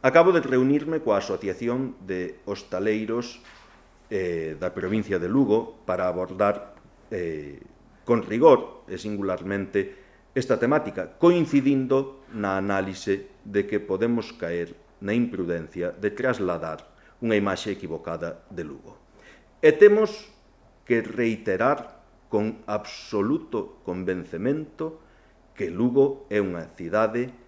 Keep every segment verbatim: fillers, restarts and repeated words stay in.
Acabo de reunirme coa Asociación de Hostaleiros eh, da provincia de Lugo para abordar eh, con rigor e singularmente esta temática, coincidindo na análise de que podemos caer na imprudencia de trasladar unha imaxe equivocada de Lugo. E temos que reiterar con absoluto convencemento que Lugo é unha cidade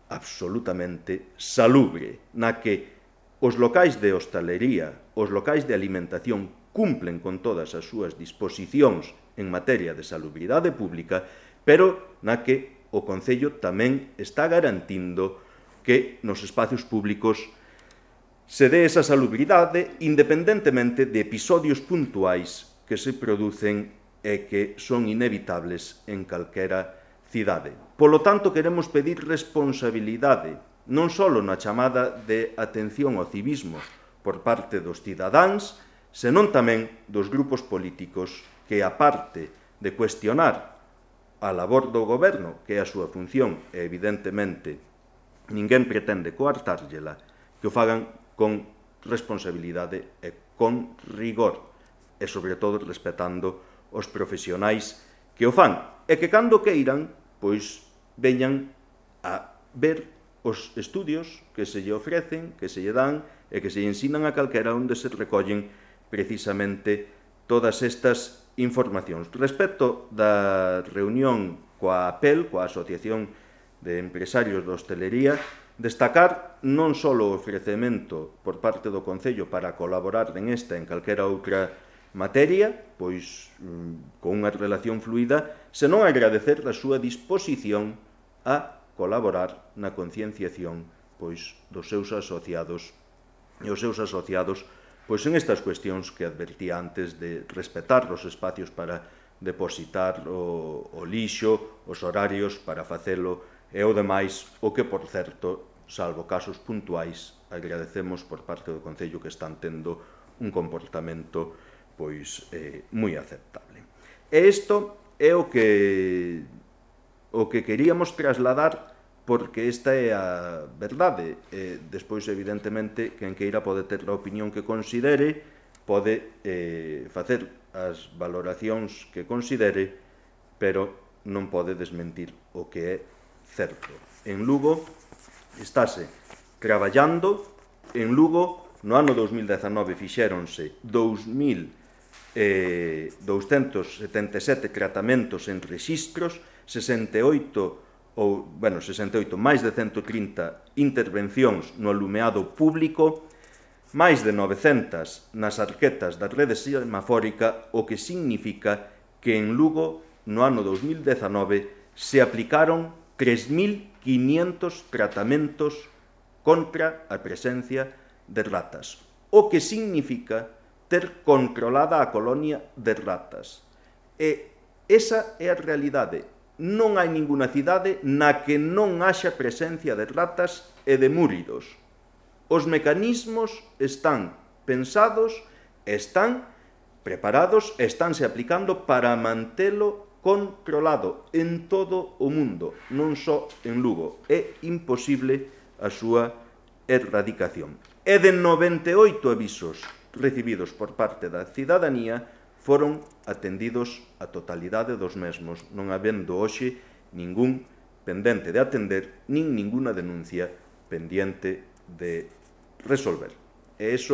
absolutamente salubre, na que os locais de hostalería, os locais de alimentación cumplen con todas as súas disposicións en materia de salubridade pública, pero na que o Concello tamén está garantindo que nos espacios públicos se dé esa salubridade independentemente de episodios puntuais que se producen e que son inevitables en calquera cidade. Polo tanto, queremos pedir responsabilidade non só na chamada de atención ao civismo por parte dos cidadáns, senón tamén dos grupos políticos que, aparte de cuestionar a labor do goberno, que é a súa función, e evidentemente ninguén pretende coartárllela, que o fagan con responsabilidade e con rigor, e sobre todo respetando os profesionais que o fan, e que cando queiran, pois veñan a ver os estudios que se lle ofrecen, que se lle dan e que se lle ensinan a calquera onde se recollen precisamente todas estas informacións. Respecto da reunión coa A P E L, coa Asociación de Empresarios de Hostelería, destacar non só o ofrecemento por parte do Concello para colaborar en esta e en calquera outra materia, pois con unha relación fluida, senón agradecer a súa disposición a colaborar na concienciación pois dos seus asociados e os seus asociados pois en estas cuestións que advertía antes de respetar os espacios para depositar o, o lixo, os horarios para facelo e o demais, o que, por certo, salvo casos puntuais, agradecemos por parte do Concello que están tendo un comportamento pois eh, moi aceptable. E isto é o que o que queríamos trasladar, porque esta é a verdade. E despois, evidentemente, quen queira pode ter a opinión que considere, pode eh, facer as valoracións que considere, pero non pode desmentir o que é certo. En Lugo estáse traballando, en Lugo no ano dous mil dezanove fixéronse dous mil douscentos setenta e sete tratamentos en rexistros, sesenta e oito ou, bueno, sesenta e oito, máis de cento trinta intervencións no alumeado público, máis de novecentas nas arquetas da rede semafórica, o que significa que en Lugo no ano dous mil dezanove se aplicaron tres mil quinientos tratamentos contra a presencia de ratas, o que significa ter controlada a colonia de ratas. E esa é a realidade. Non hai ninguna cidade na que non haxa presencia de ratas e de múridos. Os mecanismos están pensados, están preparados e estánse aplicando para mantelo controlado en todo o mundo, non só en Lugo. É imposible a súa erradicación. E de noventa e oito avisos recibidos por parte da cidadanía, foron atendidos a totalidade dos mesmos, non habendo hoxe ningún pendente de atender, nin ninguna denuncia pendiente de resolver. E iso